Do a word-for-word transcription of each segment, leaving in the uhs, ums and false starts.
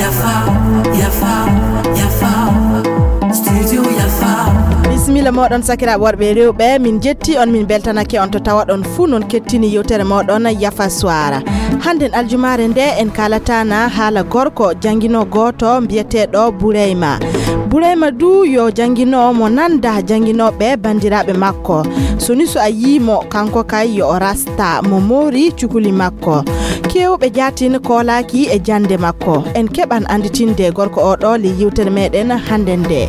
Yafa, yafa, yafa. Studio Yafa. Bisimilla moɗon, sakiraaɓe worɓe e rewɓe, min jetti on, min beltanake on to tawaɗon fuu non kettini yewtere moɗon Yafa Suwara. Hannden aljumaare nde en kaalataana haala gorko janngino gooto mbiyeteeɗo Burayma. Burayma du yo janngino mo nanda jannginooɓe banndiraaɓe makko. So ni so a yii mo, kanko kay yo o rasta mo moori cukuli makko. Keewɓe jaatin koolaaki e jannde makko. En keɓan annditinde gorko o ɗo ley yewtere meɗen hannde nde.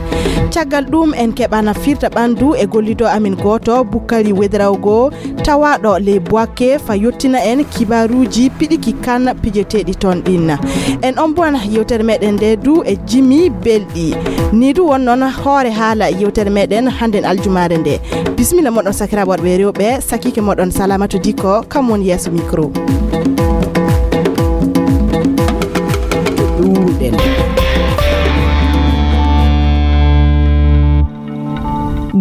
Caggal ɗum en keɓana firta ɓanndu e gollido amin gooto Bukkari Wedrawgo tawaaɗo ley Boaké fa yottina en kibaaruuji piɗiki kan pijeteeɗi toon ɗin. En omboan yewtere meɗen nde du e jimi belɗi. Ni du won noon hoore haala yewtere meɗen hannden aljumaare nde. Bisimilla moɗon sakiraaɓe worɓe e rewɓe, sakiike moɗon Salamatu Dikko, kam woni yeeso micro. Ɗuuɗen.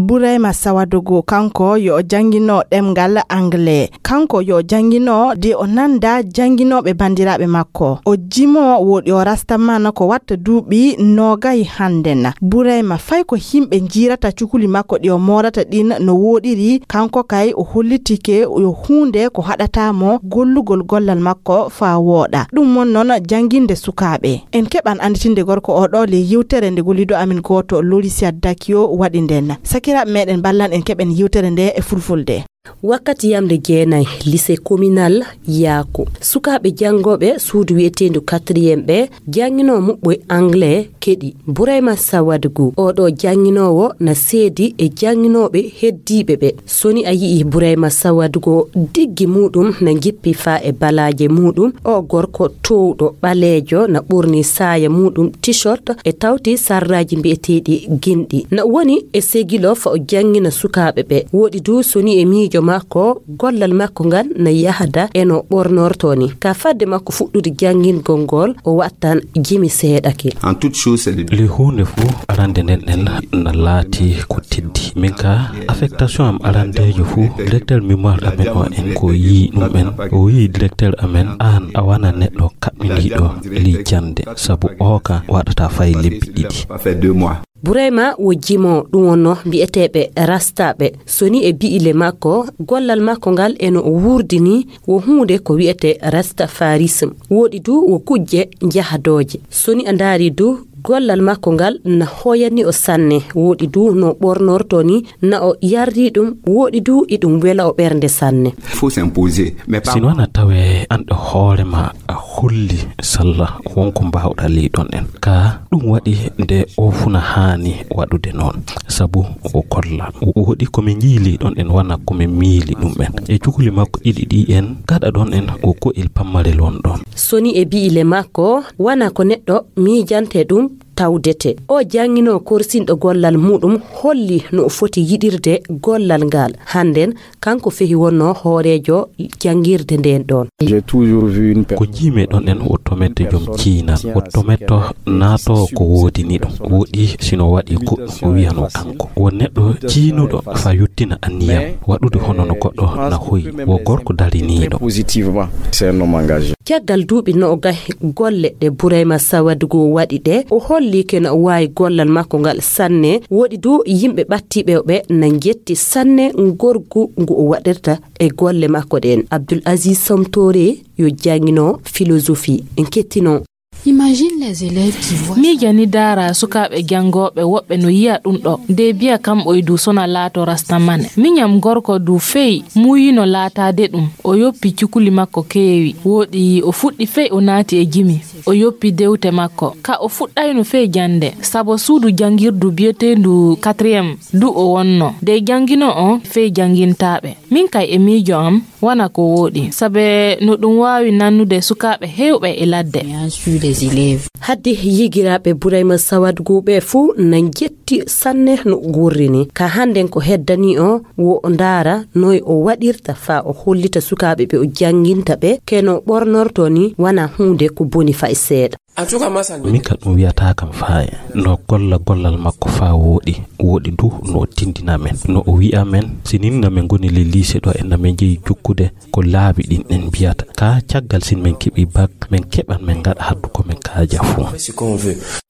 Burayma Sawadugu, kanko yo o janngino ɗemngal anglais. Kanko yo o janngino de o nanda jannginooɓe banndiraaɓe makko. O jimo woɗi o rastaman ko watta duuɓi noogay hannden. Burayma fay ko yimɓe njiirata cukuli makko ɗi o moorata ɗin no wooɗiri, kanko kay o hollitike yo huunde ko haɗata mo gollugol gollal makko faa wooɗa. Ɗum won noon jannginde sukaaɓe. En keɓan annditinde gorko o ɗo ley yewtere nde gollido amin gooto Lorisia Dakio waɗi nden. Sakiraaɓe meɗen, ballan en keɓen yewtere nde e fulfulde. Wakkati yamde jeenay, lycée communal Yaako. Sukaaɓe janngooɓe suudu wi'eteendu quatrième ɓe, jannginoo muɓɓoy anglais keɗi Burayma Sawadugu. Oo ɗoo jannginoowo na seedi e jannginooɓe heddiiɓe ɓe. So ni a yi'ii Burayma Sawadugu, diggi muuɗum na jippi faa e balaaje muuɗum, oo gorko toowɗo, ɓaleejo, na ɓorni saaya muuɗum, t-shirt, e tawti sarraaji mbi'eteeɗi ginɗi. Na woni e segilo fa o janngina sukaaɓe ɓe. Wooɗi du so ni e miijo makko, gollal makko ngal na yahda e no ɓornortoo ni. Ka fadde makko fuɗɗude janngingol ngol, o wattan jimi seeɗa ki. En toute chose, c'est le Ley huunde fuu, arande nden en na laati ko teddi. Min ka, affectation am arandeejo fuu, directeur mémoire amen o en ko yii ɗum en, o yii directeur amen, aan a wana neɗɗo kaɓɓiniiɗo ley jannde, sabu o ka waɗata fay lebbi ɗiɗi. Burayma wo jimo ɗum wonno mbi'eteeɓe rastaaɓe. So ni e bi'ile makko, gollal makko ngal e no o wuurdini wo huunde ko wi'etee rastafarisme. Wooɗi du wo kujje jahadooje. So ni a ndaari du, gollal makko ngal na hoyani o sanne. Wooɗi du no ɓornortoo ni na o yarri ɗum. Wooɗi du iɗum wela o ɓernde sanne. Faut s'imposer. Mais pas Sino na tawe an e hoore ma a holli salla wonko mbaawɗaa ley ɗon en. Ka ɗum waɗi nde o funa haani waɗude noon. Sabu o kolla. O waɗi ko min njii ley ɗon en wana ko min miili ɗum en. E cukuli makko ɗiɗi ɗi en gaɗa ɗon en ko ko'el pammarel won ɗon. So ni e bi'ile makko, wana ko neɗɗo miijante ɗum tawdete. O jannginoo korsinɗo gollal muɗum holli no o foti yiɗirde gollal ngal. Hannden kanko fehi wonno hooreejo janngirde nden ɗon. J'ai toujours vu une Ko personne njiimi ɗon en o tometto joom ciinal, o tometto naatoowo ko woodini ɗum. Woɗi sino waɗi ko o wiyanoo kanko. Won neɗɗo ciinuɗo fa yottina anniyam, waɗude hono no goɗɗo na hoyi, wo gorko dariniiɗo. Très positivement. C'est un homme engagé. Caggal duuɓi noogay golle ɗe Burayma Sawadugu waɗi ɗe, o holli ke no o waawi gollal makko ngal sanne. Woɗi du yimɓe ɓattiiɓe ɓe na njetti sanne ngorgu ngu o waɗirta e golle makko ɗen. Abdul Aziz Somtore yo janngino philosophie. En kettino. Imagine les élèves qui voient Miija ni daara sukaaɓe janngooɓe woɓɓe no yi'a ɗum ɗo. Nde biya kam oydu sona laato rastamane. Miñam gorko du fey muuyino laataade ɗum. O yoppi cukuli makko keewi. Wooɗi o fuɗɗi fey o naati e jimi. O yoppi dewte makko. Ka o fuɗɗayno fey jannde. Sabo suudu janngirdu biyeteendu quatrième du o wonno. Nde janngino o fey janngintaaɓe. Min kay e miijo am, wana ko wooɗi. Sabe no ɗum waawi nannude sukaaɓe heewɓe e ladde. Hadde yigiraaɓe Burayma Sawadugu ɓe fuu na njetti sanne no gurrini. Ka hannden ko heddani o, wo o ndaara noy o waɗirta faa o hollita sukaaɓe ɓe o jannginta ɓe, ke no ɓornorto ni wana huunde ko boni fay seeɗa. Min ka ɗum wiyataa kam faaye. No golla gollal makko faa wooɗi. Wooɗi du no o tindina men. No o wi'a men, si nin na men ngoni le lycée ɗo e na men jeyi jukkude ko laabi ɗin en mbiyata. Ka caggal sin men keɓi bak, men keɓan men ngaɗa haddu ko men kaaja fuu.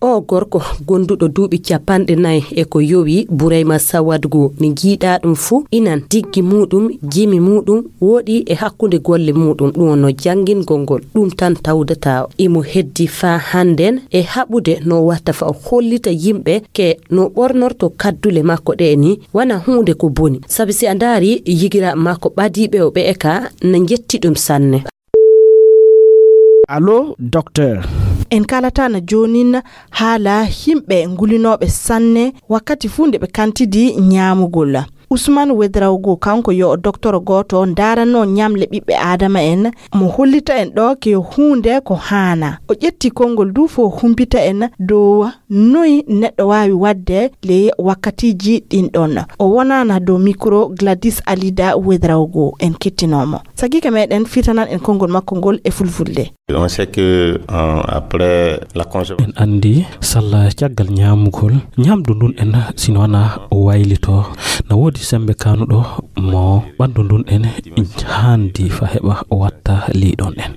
O gorko gonduɗo duuɓi capanɗe nayi e ko yowi, Burayma Sawadgu, ne jiiɗa ɗum fuu, inan diggi muuɗum, jimi muuɗum, wooɗi e hakkunde golle muuɗum, ɗum wonno janngingol ngol, ɗum tan tawdata o. Imo heddi faa hannden e haɓude no watta faa o hollita yimɓe ke no ɓornorto kaddule makko ɗe ni, wana huunde ko boni. Sabi si a ndaari yigiraaɓe makko ɓadiiɓe o ɓe e ka, na njetti ɗum sanne. Allo, docteur. En kaalata na joonin haala yimɓe ngulinooɓe sanne wakkati fuu nde ɓe kantidi ñaamugol. Usman Wedraogo, kanko yo o doktoro gooto ndaaranoo ñamle ɓiɓɓe Aadama en, mo hollita en ɗo ke huunde ko haana. O ƴetti konngol du fo humpita en dow noy neɗɗo waawi waɗde ley wakkatiiji ɗin ɗon. O wonaana dow mikro Gladys Alida Wedraogo. En kettinoo mo. Sakiike meɗen fitanan en konngol makko ngol e fulfulde. On sait que, euh, après la consommation. En anndi salla caggal ñaamugol, ñaamdu ndun en, sino wana o waylito, na woodi sembe kanuɗo mo ɓanndu ndun en haandi fa heɓa o watta liiɗon en.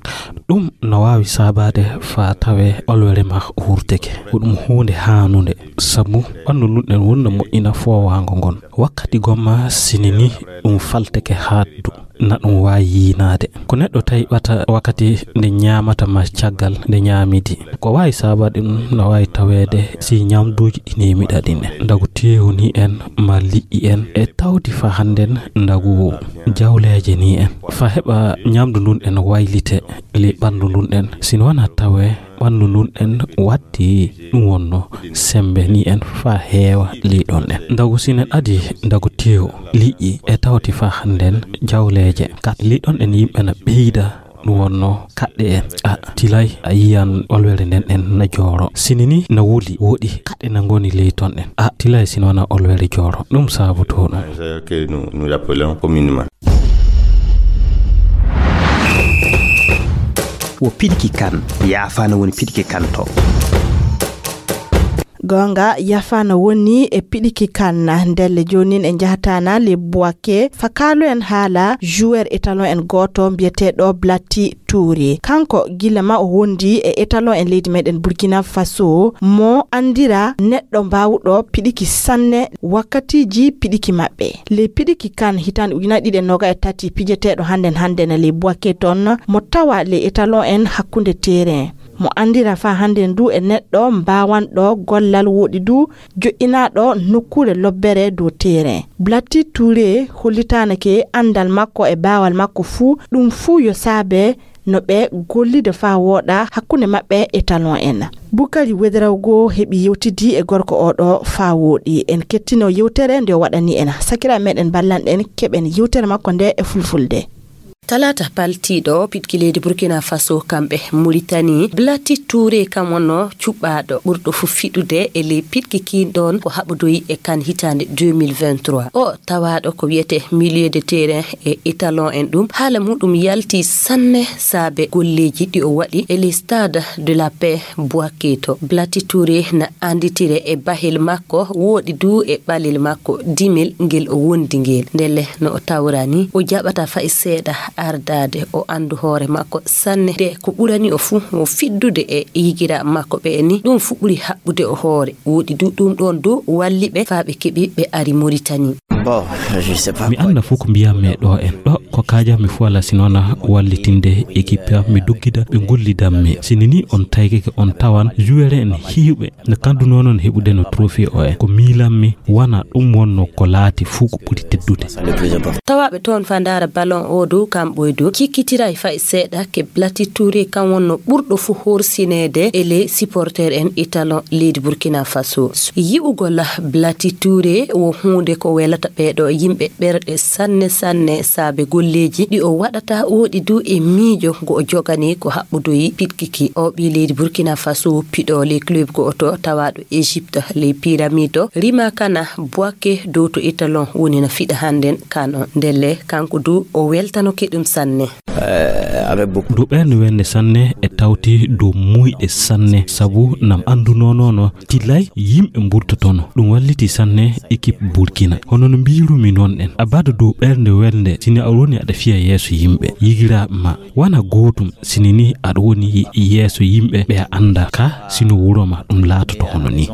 Ɗum na waawi saabaade fa tawe olwere ma wurteke. Ko ɗum huunde haanunde, sabu ɓanndu ndun en wonna moƴƴina foowaango ngon. Wakkati gomma sinini ɗum falteke haaddu. Na ɗum waawi yiinaade. Ko neɗɗo tawi ɓata wakkati nde ñaamata ma caggal nde ñaamidi. Ko waawi saabaade ɗum na waawi taweede si ñamduuji ɗi neemiɗa ɗin en. Ndagu teewu ni en, ma liƴƴi en, e tawdi fa hannden ndagu jawleeje ni en. Fa heɓa ñamdu ndun en waylite ley ɓanndu ndun en. Sino wana tawe ɓanndu ndun en watti ɗum wonno sembe ni en fa heewa liiɗon en. Ndagu sinen adi ndagu teewu liƴƴi e tawti fa hannden jawleeje. Kat liiɗon en yimɓe na ɓeyda ɗum wonno kaɗɗe en. A tilay a yiyan olwere nden en na jooro. Sini ni na wuli woɗi kaɗɗe na ngoni ley ton en. A tilay sino wana olwere jooro. Ɗum sabu to ɗum. C'est que nous, nous appelons communément. Wo piɗiki kan, yaafaana woni piɗiki kan to. Goonga, yaafaana woni e piɗiki kan. Ndelle joonin en njahataana le Boake, fa kaalo en haala joueur étalon en gooto mbiyeteeɗo Blatti Touré. Kanko gila ma o wondi e étalon en leydi meɗen Burkina Faso, mo anndira neɗɗo mbaawuɗo piɗiki sanne wakkatiiji piɗiki maɓɓe. Le piɗiki kan hitaande ujunaaji ɗiɗi e noga e tati pijeteeɗo hannden hannden le Boake ton, mo tawa le étalon en hakkunde terrain. Mo anndira fa hannden du e neɗɗo mbaawanɗo gollal woɗi du joƴƴinaaɗo nokkuure lobbere dow terrain. Blatti Touré hollitaanake anndal makko e baawal makko fuu, ɗum fuu yo saabe no ɓe gollida fa wooɗa hakkunde maɓɓe e talon en. Bukari Wedrawgo heɓi yewtidi e gorko oɗo fa wooɗi. En kettino yewtere nde o waɗani en. Sakiraaɓe meɗen ballanɗen keɓen yewtere makko nde e fulfulde. Talaata paltiiɗo, piɗki leydi Burkina Faso, kamɓe Muritani, Blati Touré, kam wonno cuɓɓaaɗo ɓurɗo fof fiɗude e ley piɗki kiin ɗoon ko haɓodoyi e kan hitaande deux mille vingt-trois. O tawaaɗo ko wiyetee milieu de terrain e étalon en ɗum. Haala muɗum yalti sanne saabe golleeji ɗi o waɗi e ley Stade de la Paix Boaké to. Blati Touré na annditire e bahel makko, wooɗi du e ɓalel makko dimel ngel o wondi ngel. Ndelle no o tawra ni, o jaɓata fay seeɗa ardaade o anndu hoore makko sanne. De ko ɓurani o fuu, o fiɗdude e yigiraaɓe makko ɓe ni, ɗum fuu ɓuri haɓɓude o hoore. Wooɗi du ɗum ɗoon du walli ɓe faa ɓe keɓi ɓe ari Moritani. Bon, je sais pas. Mi annda fof ko mbiyanmi e ɗo en. Ɗo ko kaajanmi fof alaa si noon wallitinde équipe am, mi doggida ɓe ngollidanmi. Si ni on taykike on tawan joueur en heewɓe no kandu noon on heɓude no trophée o en. Ko miilanmi wona ɗum wonno ko laati fof ko ɓuri teddude. Tawaaɓe toon fa ndaara ballon o dow kamɓe du cikkitiray fay seeɗa ke Blati Touré kan wonno ɓurɗo fof horsineede e ley supporter en étalon leydi Burkina Faso. Yi'ugol Blati Touré wo huunde ko welata ɓeeɗo yimɓe ɓerɗe sanne sanne saabe golleeji ɗi o waɗata wooɗi du e miijo ngo o jogani ko haɓɓodoyi piɗki ki. O ɓii leydi Burkina Faso piɗo ley club go'oto tawaaɗo Égypte ley Pyramide rimaaka na Boaké dow to étalon woni na fiɗa hannden kan on. Ndelle kanko du o weltanoke ɗum sanne. Dow ɓernde welnde sanne e tawti dow muyɗe sanne, sabu nam anndunonono tilay yimɓe mburtotono. Ɗum walliti sanne équipe Burkina. Hono no mbirumi noon en, a bada dow ɓernde welnde, sini a woni aɗa fiya yeeso yimɓe, yigiraaɓe ma, wana gootum, sini ni aɗa woni yeeso yimɓe ɓe a annda ka, sino wuro ma ɗum laatoto hono ni.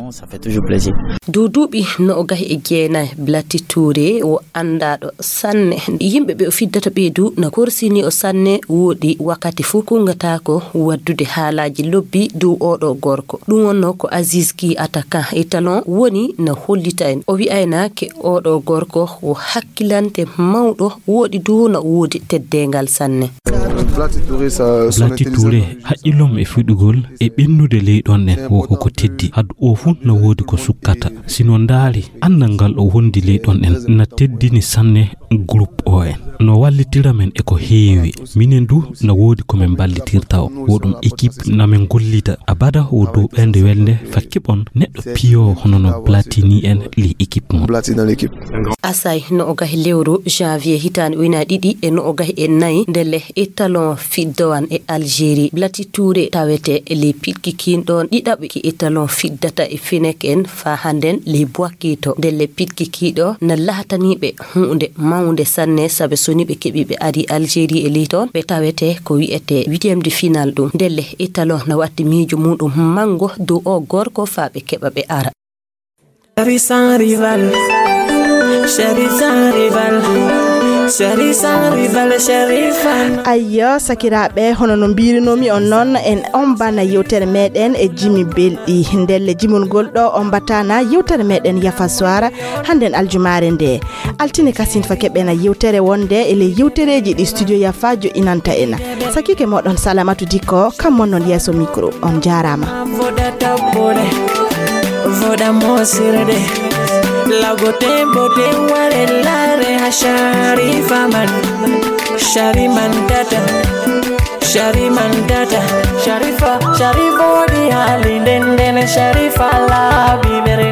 Dow duuɓi no o gahi e jeenay, Blati Touré o anndaaɗo sanne. Yimɓe ɓe o fiddata ɓee du na korsini o sanne, woɗi wakkati fuu kunngataako waddude haalaaji lobbi dow oɗo gorko. Ɗum wonno ko Aziz Ki, attaquant italon, woni na hollita en. O wi'ayna ke oɗo gorko o hakkilante mawɗo, woɗi du na woodi teddeengal sanne. Blati Touré, haqqillom e fuɗɗugol e ɓennude ley ɗon en, wo ko ko teddi. Haɗo o fuu na woodi ko sukkata. Si no ndaari, anndal ngal o wondi ley ɗon en na teddini sanne groupe o en. No wallitira men e ko heewi. Minen du na woodi ko min mballitirta o. Wo ɗum équipe na min gollida. Abada wo dow ɓernde welnde fa keɓon neɗɗo piyo hono no Platini en ley équipe mum. Asay no o gahi lewru janvier hitaande ujunaaji ɗiɗi e no o gahi e nayi, ndelle italon fiddowan e Algérie. Blati Touré tawete e ley piɗki kiin ɗon ɗiɗaɓi ki italon fiddata e finek en faa hannden ley Boakito. Ndelle piɗki kiiɗo na laataniiɓe huunde mawnde sanne, sabe so ni ɓe keɓi ɓe ari Algérie e ley toon, ɓe tawete ko wi'ete huitième de finale ɗum. Ndelle italon na watti miijo muɗum manngo dow o gorko faa ɓe keɓa ɓe ara. Chéri sans rival, chéri sans rival, chéri sans rival, chéri fan. Ayyo, sakiraaɓe, hono no mbiirunoomi on noon, en ombana yewtere meɗen e jimi belɗi. Ndelle jimol ngol ɗo ombataana yewtere meɗen Yafa Soir, hannden aljumaare nde. Altine kasin fa keɓena yewtere wonde e ley yewtereeji ɗi studio Yafa joɗɗinanta en. Sakike moɗon Salamatu Dikko, kam mon non yeeso micro. On jaaraama. Voɗa tappole, voɗa mosirde, lago tembo te ware lare ha Sharifa man, Shari man data, Shari man data, Sharifa, Sharifa di hali denden, Sharifa la bibere.